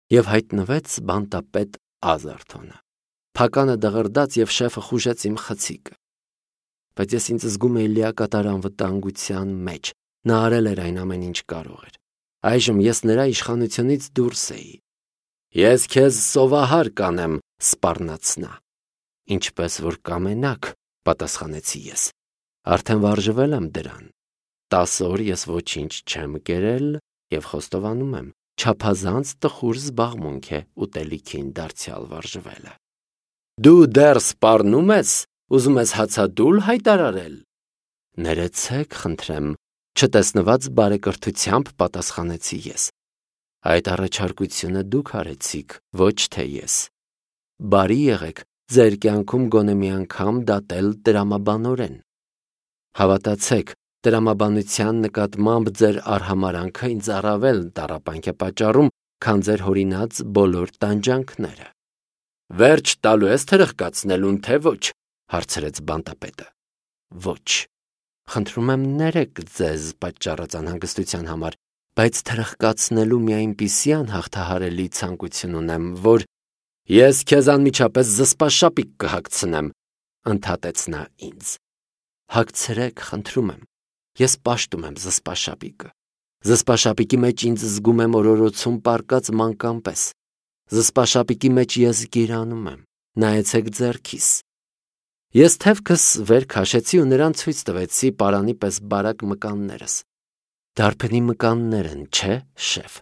Եվ հայտնվեց բանտապետ Ազարթոնը, փականը դղրդաց և շեֆը խուժեց իմ խցիկը։ Բայց ես ինձ զգում էի լիակատար անվտանգության մեջ, նա արել էր այն ամեն ինչ կարող էր։ Այժմ ես նրա իշխանությունից դուրս էի։ Ես քեզ սովահար կանեմ, սպառնաց նա։ Ինչպես որ կամենաք, պատասխանեցի ես։ Արդեն վարժվել եմ դրան։ 10 օր ես ոչինչ չեմ կերել և խոստովանում եմ, չափազանց տխուր զբաղմունք է ուտելիքին դարձյալ վարժվելը։ Դու դեռ սպառնում ես, ուզում ես հացադուլ հայտարարել։ Ներեցեք, խնդրեմ, չտեսնված բարեկրթությամբ պատասխանեցի ես։ Այդ առաջարկությունը դուք արեցիք, ոչ թե ես։ Բարի եղեք ձեր կյանքում գոնե մի անգամ դատել տրամաբանորեն։ Հավատացեք, տրամաբանության նկատմամբ ձեր արհամարանքը ինձ առավել տառապանք է պատճառում, քան ձեր հորինած բոլոր տանջանքները։ Վերջ տալու ես թրխկացնելուն, թե ոչ, հարցրեց բանտապետը։ Ոչ։ Խնդրում եմ ներեք ձեզ պատճառած անհանգստության համար, բայց թրխկացնելու մի այնպիսի անհաղթահարելի ցանկություն ունեմ, որ ես քեզ անմիջապես զսպաշապիկ կհագցնեմ, ընդհատեց նա ինձ։ Հագցրեք, խնդրում եմ, ես պաշտում եմ զսպաշապիկը։ Զսպաշապիկի մեջ ինձ զգում եմ օրորոցում պառկած մանկան պես։ Զսպաշապիկի մեջ ես գիրանում եմ, նայեցեք ձեռքիս։ Ես թևքս վեր քաշեցի ու նրան ցույց տվեցի պարանի պես բարակ մկաններս։ Դարբնի մկաններ են, չէ, շեֆ։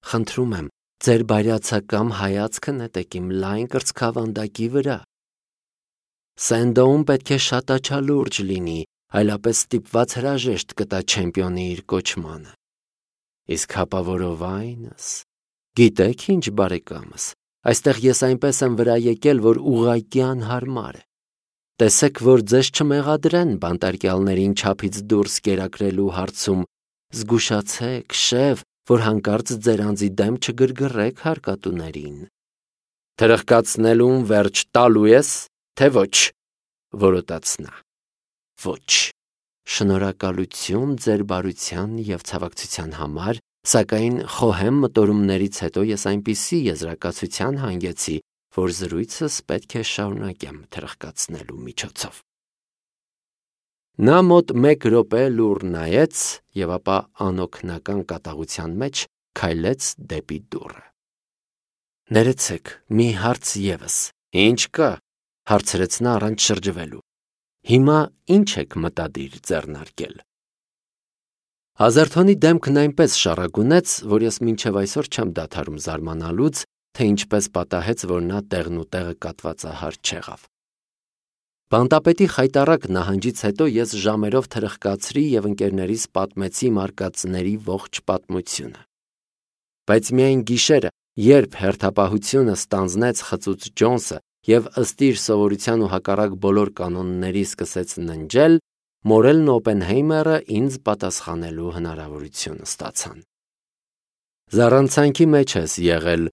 Խնդրում եմ, ձեր բայրացակամ հայացքը նետեք իմ լայն կրծքավանդակի վրա։ Սենդոուն պետք է շատ աչալուրջ լինի, այլապես ստիպված հրաժեշտ կտա չեմպիոնի իր կոչմանը։ Իսկ հապավորովայնս, գիտեք ինչ, բարեկամս, այստեղ ես այնպես եմ վրա եկել, որ ուղղակի անհարմար է։ Տեսեք, որ ձեզ չմեղադրեն բանտարկյալներին չափից դուրս կերակրելու հարցում, զգուշացեք, շեֆ, որ հանկարծ ձեր անձի դեմ չգրգռեք հարկատուներին։ Թրխկացնելուն վերջ տալու ես, թե ոչ, որոտաց նա։ Ոչ։ Շնորհակալություն ձեր բարության և ցավակցության համար, սակայն խոհեմ մտորումներից հետո ես այնպիսի եզրակացության հանգեցի, որ զրույցս պետք է շարունակեմ թրխկացնելու միջոցով։ Նա մոտ 1 րոպե լուռ նայեց և ապա անօգնական կատաղության մեջ քայլեց դեպի դուռը։ Ներեցեք, մի հարց ևս։ Ինչ կա, հարցրեց նա առանց շրջվելու։ Հիմա ինչ եք մտադիր ձեռնարկել։ Ազարթոնի դեմքն այնպես շառագունեց, որ ես մինչև այսօր չեմ դադարում զարմանալուց, թե ինչպես պատահեց, որ նա տեղն ու տեղը կատվածահար չեղավ։ Բանտապետի խայտառակ նահանջից հետո ես ժամերով թրխկացրի և ընկերներիս պատմեցի մարկածների ողջ պատմությունը։ Բայց միայն գիշերը, երբ հերթապահությունը ստանձնեց խծուծ Ջոնսը և ըստ իր սովորության ու հակառակ բոլոր կանոնների սկսեց ննջել, Մորելն ու Օպենհեյմերը ինձ պատասխանելու հնարավորություն ստացան։ Զառանցանքի մեջ ես եղել,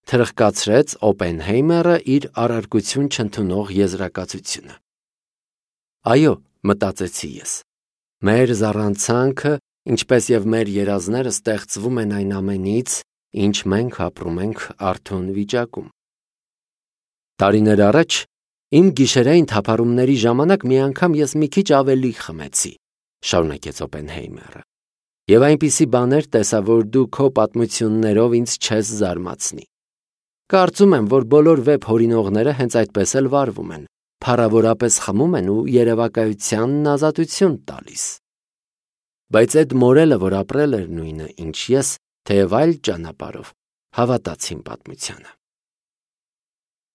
թրխկացրեց Օպենհեյմերը իր առարկություն չընդունող եզրակացությունը։ Այո, մտածեցի ես։ Մեր զառանցանքը, ինչպես և մեր երազները ստեղծվում են այն ամենից, ինչ մենք ապրում ենք արթուն վիճակում։ Տարիներ առաջ իմ գիշերային թափառումների ժամանակ մի անգամ ես մի քիչ ավելի խմեցի, շարունակեց Օպենհեյմերը, և այնպիսի բաներ տեսա, որ դու քո պատմություններով ինձ չես զարմացնի։ Կարծում եմ, որ բոլոր վեբ հորինողները հենց այդպես էլ վարվում են, փառավորապես խմում են ու երևակայությանն ազատություն տալիս։ Բայց այդ Մորելը, որ ապրել էր նույնը, ինչ ես, թեև այլ ճանապարհով, հավատաց իմ պատմությանը։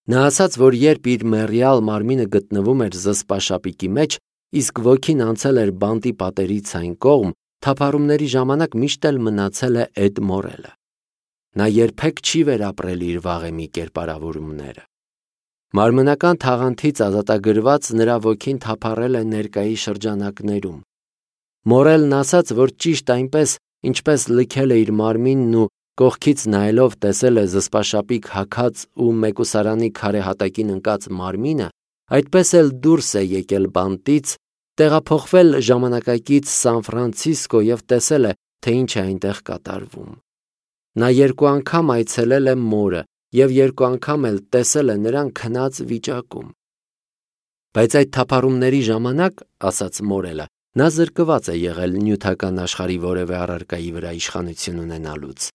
Նա ասաց, որ երբ իր մեռյալ մարմինը գտնվում էր զսպաշապիկի մեջ, իսկ ոգին անցել էր բանտի պատերից այն կողմ, թափառումների ժամանակ միշտ էլ մնացել է Էդ Մորելը։ Նա երբեք չի վերապրել իր վաղեմի կերպարավորումները։ Մարմնական թաղանթից ազատագրված նրա ոգին թափառել է ներկայի շրջանակներում։ Մորելն ասաց, որ ճիշտ այնպես, ինչպես լքել է իր մարմինն ու կողքից նայելով տեսել է զսպաշապիկ հագած ու մեկուսարանի քարե հատակին ընկած մարմինը, այդպես էլ դուրս է եկել բանտից, տեղափոխվել ժամանակակից Սան Ֆրանցիսկո և տեսել է, թե ինչ է այնտեղ կատարվում։ Նա 2 անգամ այցելել է մորը և 2 անգամ էլ տեսել է նրան քնած վիճակում։ Բայց այդ թափառումների ժամանակ, ասաց Մորելը, նա զրկված է եղել նյութական աշխարհի որևէ առարկայի վրա իշխանություն ունենալուց։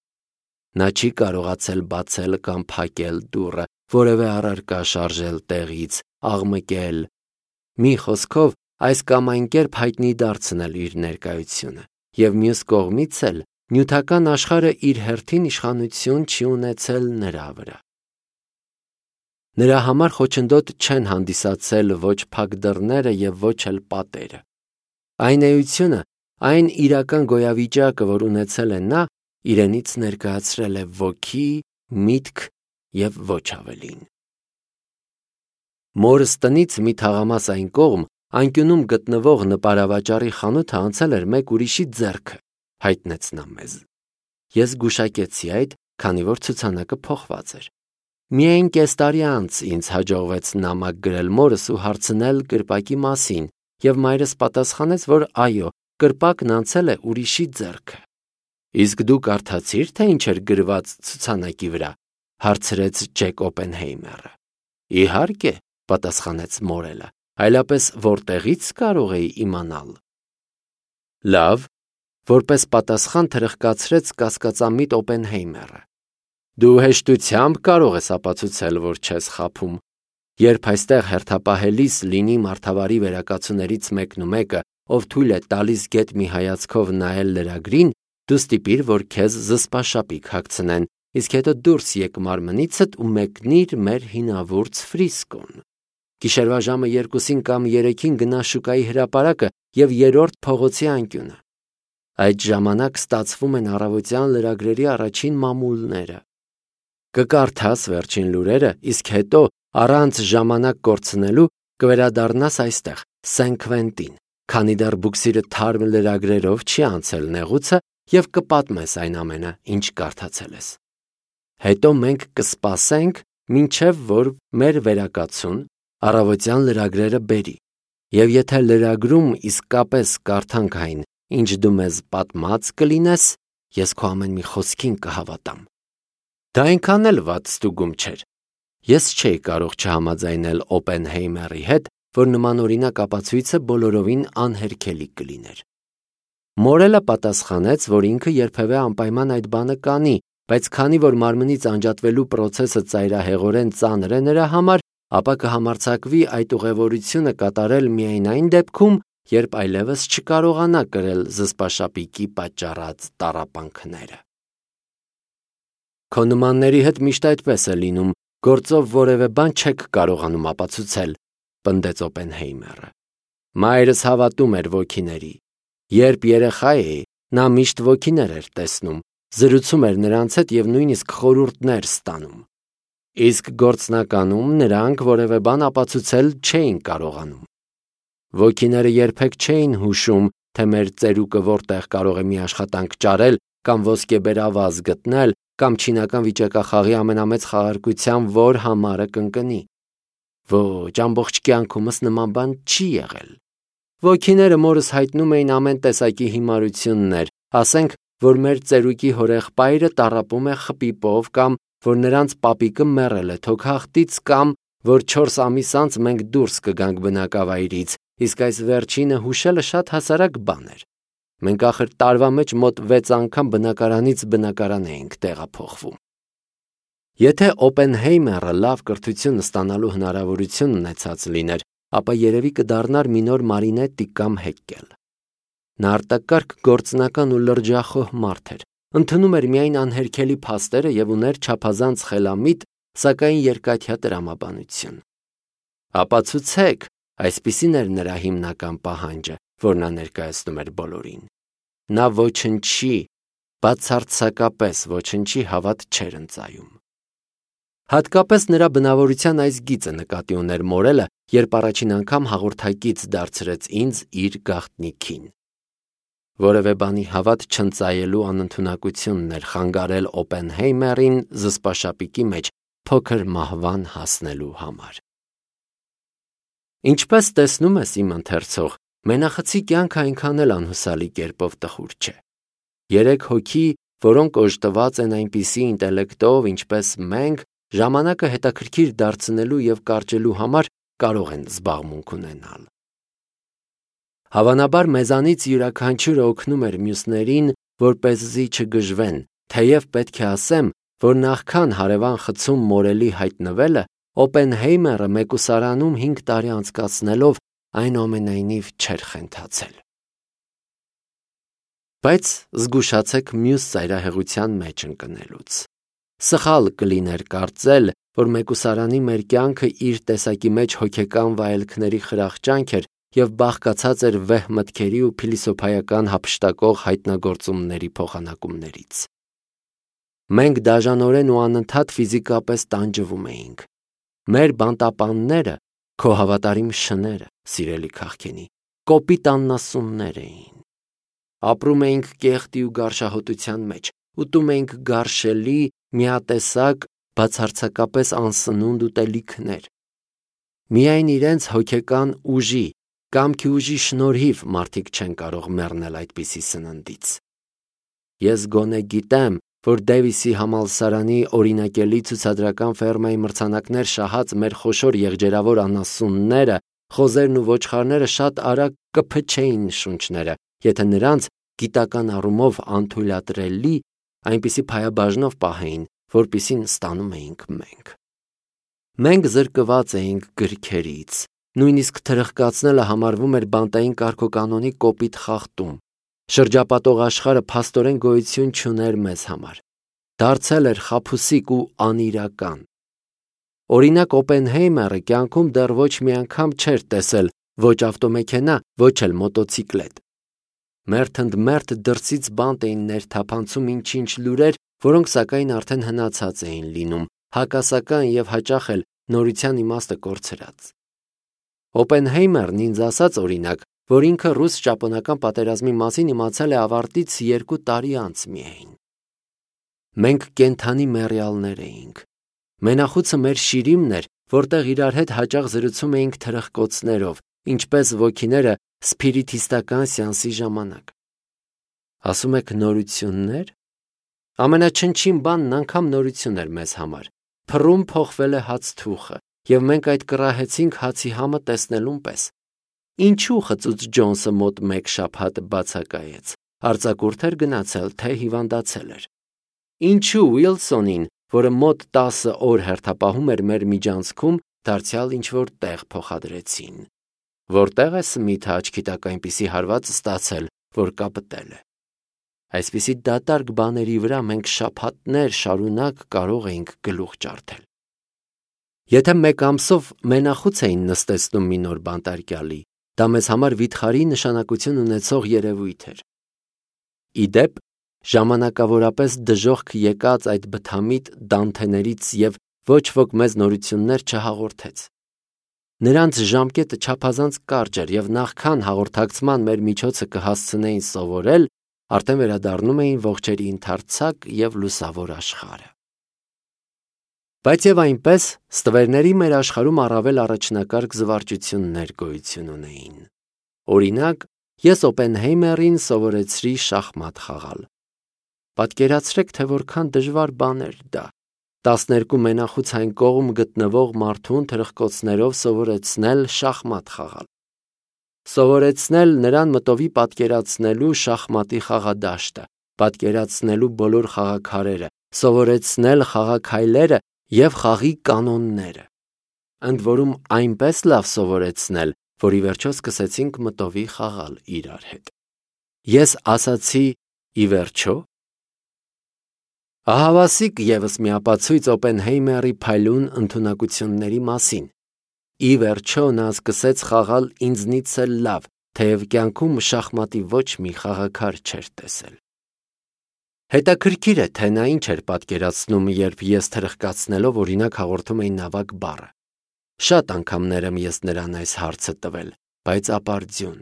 Նա չի կարողացել բացել կամ փակել դուռը, որևէ առարկա շարժել տեղից, աղմկել, մի խոսքով, այս կամ այն կերպ հայտնի դարձնել իր ներկայությունը, և մյուս կողմից էլ նյութական աշխարհը իր հերթին իշխանություն չի ունեցել նրա վրա։ Նրա համար խոչընդոտ չեն հանդիսացել ոչ փակ դռները և ոչ էլ պատերը։ Այն էությունը, այն իրական գոյավիճակը, որ ունեցել է նա, իրենից ներկայացրել է ոգի, միտք և ոչ ավելին։ Մորս տնից մի թաղամաս այն կողմ, անկյունում գտնվող նպարավաճառի խանութը անցել էր մեկ ուրիշի ձեռքը, հայտնեց նա մեզ։ Ես զգուշակեցի այդ, քանի որ ցուցանակը փոխված էր։ Միայն կես տարի անց ինձ հաջողվեց նամակ գրել մորս ու հարցնել կրպակի մասին, և մայրս պատասխանեց, որ այո, կրպակն անցել է ուրիշի ձեռքը։ Իսկ դու կարդացի՞ր, թե ինչ էր գրված ցուցանակի վրա, հարցրեց Ջեք Օպենհեյմերը։ Իհարկե, պատասխանեց Մորելը, այլապես որտեղից կարող էի իմանալ։ Լավ, որպես պատասխան թրխկացրեց կասկածամիտ Օպենհեյմերը։ Դու հեշտությամբ կարող ես ապացուցել, որ չես խաբում։ Երբ այստեղ հերթապահելիս լինի մարդավարի վերակացուներից մեկն ու մեկը, ով թույլ է տալիս գետ մի հայացքով նայել լրագրին, դու ստիպիր, որ քեզ զսպաշապիկ հագցնեն, իսկ հետո դուրս եկ մարմնիցդ ու մեկնիր մեր հինավուրց Ֆրիսկոն։ Գիշերվա ժամը 2-ին կամ 3-ին գնա շուկայի հրապարակը և 3-րդ փողոցի անկյունը։ Այդ ժամանակ ստացվում են առավոտյան լրագրերի առաջին մամուլները։ Կկարդաս վերջին լուրերը, իսկ հետո, առանց ժամանակ կորցնելու, կվերադառնաս այստեղ, Սեն Քվենտին, քանի դեռ բուքսիրը թարմ լրագրերով չի անցել նեղուցը, և կպատմես այն ամենը, ինչ կարդացել ես։ Հետո մենք կսպասենք, մինչև որ մեր վերակացուն առավոտյան լրագրերը բերի, և եթե լրագրում իսկապես կարդանք այն, ինչ դու մեզ պատմած կլինես, ես քո ամեն մի խոսքին կհավատամ։ Դա այնքան էլ վատ ստուգում չէր։ Ես չէի կարող չհամաձայնել Օպենհեյմերի հետ, որ նմանօրինակ ապացույցը բոլորովին անհերքելի կլիներ։ Մորելը պատասխանեց, որ ինքը երբևէ անպայման այդ բանը կանի, բայց քանի որ մարմնից անջատվելու պրոցեսը ծայրահեղորեն ծանր է նրա համար, ապա կհամարձակվի այդ ուղևորությունը կատարել միայն այն դեպքում, երբ այլևս չկարողանա կրել զսպաշապիկի պատճառած տառապանքները։ Քո նմանների հետ միշտ այդպես է լինում, գործով որևէ բան չեք կարողանում ապացուցել, պնդեց Օպենհեյմերը։ Մայրս հավատում էր ոգիների։ Երբ երեխա էի, նա միշտ ոգիներ էր տեսնում, զրուցում էր նրանց հետ և նույնիսկ խորհուրդներ ստանում։ Իսկ գործնականում նրանք որևէ բան ապացուցել չէին կարողանում։ Ոգիները երբեք չէին հուշում, թե մեր ծերուկը որտեղ կարող է մի աշխատանք ճարել կամ ոսկեբերավազ գտնել կամ չինական վիճակախաղի ամենամեծ խաղարկության որ համարը կընկնի։ Ոչ, ամբողջ կյանքումս նման բան չի եղել։ Ոգիները մորս հայտնում էին ամեն տեսակի հիմարություններ, ասենք, որ մեր ծերուկի հորեղբայրը տառապում է խպիպով կամ որ նրանց պապիկը մեռել է թոքախտից կամ որ 4 ամիս անց մենք դուրս կգանք բնակավայրից, իսկ այս վերջինը հուշելը շատ հասարակ բան էր։ Մենք ախր տարվա մեջ մոտ 6 անգամ բնակարանից բնակարան էինք տեղափոխվում։ Եթե Օպենհեյմերը լավ կրթություն ստանալու հնարավորություն ունեցած լիներ, ապա երևի կդառնար մի նոր Մարինետտի կամ Հեկկել։ Նա արտակարգ գործնական ու լրջախոհ մարդ էր, ընդունում էր միայն անհերքելի փաստերը և ուներ չափազանց խելամիտ, սակայն երկաթյա տրամաբանություն։ Ապացուցեք, այսպիսին էր նրա հիմնական պահանջը, որ նա ներկայացնում էր բոլորին։ Նա ոչնչի, բացարձակապես ոչնչի հավատ չէր ընծայում։ Հատկապես նրա բնավորության այս գիծը նկատի ուներ Մորելը, երբ առաջին անգամ հաղորդակից դարձրեց ինձ իր գաղտնիքին։ Որևէ բանի հավատ չընծայելու անընդունակությունն էր խանգարել Օպենհեյմերին զսպաշապիկի մեջ փոքր մահվան հասնելու համար։ Ինչպես տեսնում ես, իմ ընթերցող, մենախցի կյանքը այնքան էլ անհուսալի կերպով տխուր չէ։ 3 հոգի, որոնք օժտված են այնպիսի ինտելեկտով, ինչպես մենք, ժամանակը հետաքրքիր դարձնելու եւ կարճելու համար կարող են զբաղմունք ունենալ։ Հավանաբար մեզանից յուրաքանչյուրը օգնում էր մյուսներին, որպեսզի չգժվեն, թեև պետք է ասեմ, որ նախքան հարևան խցում մորելի հայտնվելը, Օպենհեյմերը մեկուսարանում 5 տարի անցկացնելով այնուամենայնիվ չէր խենթացել։ Բայց զգուշացեք մյուս ծայրահեղության մեջ ընկնելուց։ Սխալ կլիներ կարծել, որ մեկուսարանի մեր կյանքը իր տեսակի մեջ հոգեկան վայելքների խրախճանք էր և բաղկացած էր վեհ մտքերի ու փիլիսոփայական հափշտակող հայտնագործումների փոխանակումներից։ Մենք դաժանորեն ու անընդհատ ֆիզիկապես տանջվում էինք։ Մեր բանտապանները, քո հավատարիմ շները, սիրելի քաղքենի, կոպիտ աննասուններ էին։ Ապրում էինք կեղտի ու գարշահոտության մեջ, ուտում էինք գարշելի, միատեսակ, բացարձակապես անսնունդ ուտելիքներ։ Միայն իրենց հոգեկան ուժի, կամքի ուժի շնորհիվ մարդիկ չեն կարող մեռնել այդպիսի սննդից։ Ես գոնե գիտեմ, որ Դեվիսի համալսարանի օրինակելի ցուցադրական ֆերմայի մրցանակներ շահած մեր խոշոր եղջերավոր անասունները, խոզերն ու ոչխարները շատ արագ կփչեին շունչները, եթե նրանց գիտական առումով անթույլատրելի այնպիսի փայաբաժնով պահեին, որպիսին ստանում էինք մենք։ Մենք զրկված էինք գրքերից, նույնիսկ թրխկացնելը համարվում էր բանտային կարգոկանոնի կոպիտ խախտում։ Շրջապատող աշխարհը փաստորեն գոյություն չուներ մեզ համար, դարձել էր խաբուսիկ ու անիրական։ Օրինակ Օպենհեյմերը կյանքում դեռ ոչ մի անգամ չէր տեսել ոչ ավտոմեքենա, ոչ էլ մոտոցիկլետ։ Մերթ ընդ մերթ դրսից բանտ էին ներթափանցում ինչ-ինչ լուրեր, որոնք սակայն արդեն հնացած էին լինում, հակասական եւ հաճախ էլ նորության իմաստը կորցրած։ Օպենհեյմերն ինձ ասաց օրինակ, որ ինքը ռուս-ճապոնական պատերազմի մասին իմացել է ավարտից 2 տարի անց միայն։ Մենք կենդանի մեռյալներ էինք։ Մենախուցը մեր շիրիմն էր, որտեղ իրար հետ հաճախ զրուցում էինք թրխկոցներով, ինչպես ոգիները սփիրիթիստական սեանսի ժամանակ։ Ասում եք նորություններ։ Ամենաչնչին բանն անգամ նորություն էր մեզ համար։ Փռում փոխվել է հացթուխը, եւ մենք այդ կռահեցինք հացի համը տեսնելուն պես։ Ինչու խծուծ Ջոնսը մոտ 1 շաբաթ բացակայեց, արձակուրդ էր գնացել, թե հիվանդացել էր։ Ինչու Ուիլսոնին, որը մոտ 10 օր հերթապահում էր մեր միջանցքում, դարձյալ ինչ-որ տեղ փոխադրեցին։ Որտեղ է Սմիթը աչքի տակ այնպիսի հարված ստացել, որ կապտել է։ Այսպիսի դատարկ բաների վրա մենք շաբաթներ շարունակ կարող էինք գլուխ ջարդել։ Եթե 1 ամսով մենախուց էին նստեցնում մի նոր բանտարկյալի, դա մեզ համար վիթխարի նշանակություն ունեցող երևույթ էր։ Իդեպ, ժամանակավորապես դժոխք եկած այդ բթամիտ դանթեներից եւ ոչ ոք մեզ նորություններ չհաղորդեց։ Նրանց ժամկետը չափազանց կարճ էր եւ նախքան հաղորդակցման մեր միջոցը կհասցնեին սովորել, արդեն վերադառնում էին ողջերի ընդարձակ եւ լուսավոր աշխարհը։ Բայց եւ այնպես ստվերների մեր աշխարհում առավել առաջնակարգ զվարճություններ գոյություն ունեին։ Օրինակ, ես Օպենհեյմերին սովորեցրի շախմատ խաղալ։ Պատկերացրեք, թե որքան դժվար բան էր դա։ 12 մենախուց այն կողմ գտնվող մարդուն թրխկոցներով սովորեցնել շախմատ խաղալ։ Սովորեցնել նրան մտովի պատկերացնելու շախմատի խաղադաշտը, պատկերացնելու բոլոր խաղաքարերը, սովորեցնել խաղաքայլերը եւ խաղի կանոնները։ Ընդ որում այնպես լավ սովորեցնել, որ ի վերջո սկսեցինք մտովի խաղալ իրար հետ։ Ես ասացի՝ ի վերջո։ Ահավասիկ եւս մի ապացույց Օպենհեյմերի փայլուն ընդունակությունների մասին։ Ի վերջո նա սկսեց խաղալ ինձնից էլ լավ, թեև կյանքում շախմատի ոչ մի խաղաքար չէր տեսել։ Հետաքրքիր է, թե նա ինչ էր պատկերացնում, երբ ես թրխկացնելով օրինակ հաղորդում էի նավակ բառը։ Շատ անգամներ եմ ես նրան այս հարցը տվել, բայց ապարդյուն։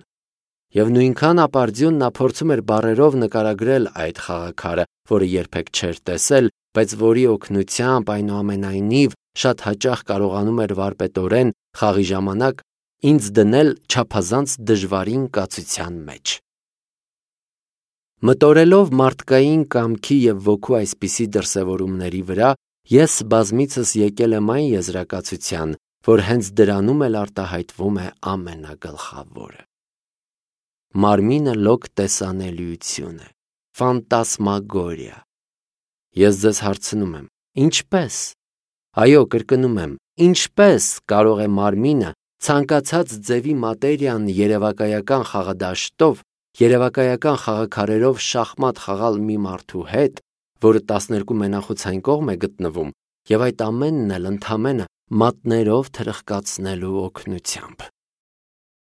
Եվ նույնքան ապարդյուն նա փորձում էր բառերով նկարագրել այդ խաղաքարը, որը երբեք չէր տեսել, բայց որի օգնությամբ այնուամենայնիվ շատ հաճախ կարողանում էր վարպետորեն խաղի ժամանակ ինձ դնել չափազանց դժվարին կացության մեջ։ Մտորելով մարդկային կամքի և ոգու այսպիսի դրսևորումների վրա, ես բազմիցս եկել եմ այն եզրակացության, որ հենց դրանում էլ արտահայտվում է ամենագլխավորը։ Մարմինը լոկ տեսանելիություն է, ֆանտասմագորիա։ Ես ձեզ հարցնում եմ, ինչպե՞ս։ Այո, կրկնում եմ, ինչպե՞ս կարող է մարմինը ցանկացած ձևի մատերիան երևակայական խաղադաշտով, երևակայական խաղաքարերով շախմատ խաղալ մի մարդու հետ, որը 12 մենախոցային կողմ է գտնվում, և այդ ամենն էլ ընդամենը մատներով թրխկացնելու օգնությամբ։